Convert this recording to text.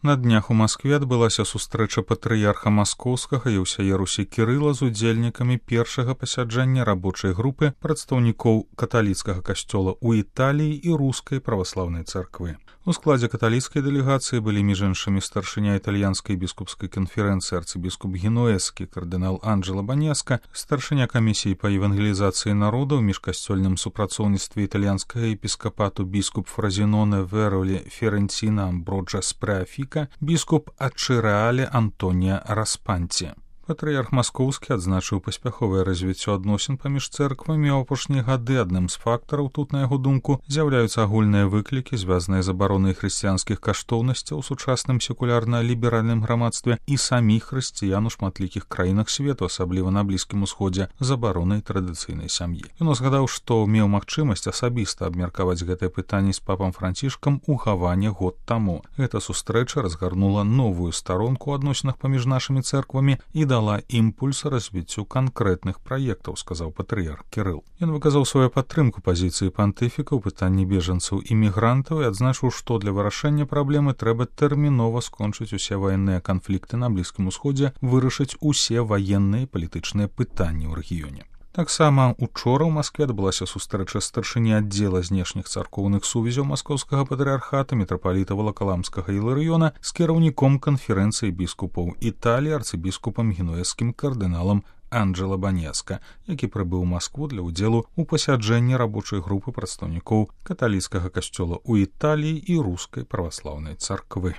На днях у Маскве адбылася сустрэча патрыярха маскоўскага і ўсяе Русі Кірыла з удзельнікамі першага пасяджэння рабочай групы прадстаўнікоў каталіцкага касцёла ў Італіі і рускай праваслаўнай царквы. У складзе каталіцкай дэлегацыі былі між іншымі старшыня італьянскай біскупскай канферэнцыі арцыбіскуп Генуэзскі кардынал Анджело Банеска, старшыня камісіі па евангелізацыі народаў міжкасцёльным супрацоўніцтве італьянскага епіскапату біскуп Фразіноне Веролі Ференціна Амброджа Спреафіка, біскуп Ачырэале Антонія Распанці. Патрыярх маскоўскі адзначыў паспяховае развіццё адносін паміж цэрквамі. У апошнія гады адным з фактараў тут, на яго думку, з'яўляюцца агульныя выклікі, звязаныя з абаронай хрысціянскіх каштоўнасцяў у сучасным секулярна-ліберальным грамадстве і саміх хрысціян у шматлікіх краінах свету, асабліва на Блізкім Усходзе, з абаронай традыцыйнай сям'і. Ён узгадаў, што меў магчымасць асабіста абмеркаваць гэтае пытанне з папам Францішкам у Гаване год таму. Гэта сустрэча разгарнула новую старонку ў адносінах паміж нашымі цэрквамі і дала імпульс развіццю канкрэтных праектаў, сказаў патрыярх Кірыл. Ён выказаў сваю падтрымку пазіцыі пантыфіка ў пытанні бежанцаў і мігрантаў і адзначыў, што для вырашэння праблемы трэба тэрмінова скончыць усе ваенныя канфлікты на Блізкім Усходзе, вырашыць усе ваенныя і палітычныя пытанні ў рэгіёне. Таксама учора ў Маскве адбылася сустрэча старшыні аддзела знешніх царкоўных сувязяў маскоўскага патрыярхата мітрапаліта Валакаламскага Іларыёна з кіраўніком канферэнцыі біскупаў Італіі арцыбіскупам генуэзскім кардыналам Анджело Банеска, які прыбыў у Маскву для ўдзелу ў пасяджэнні рабочай групы прадстаўнікоў каталіцкага касцёла ў Італіі і рускай праваслаўнай царквы.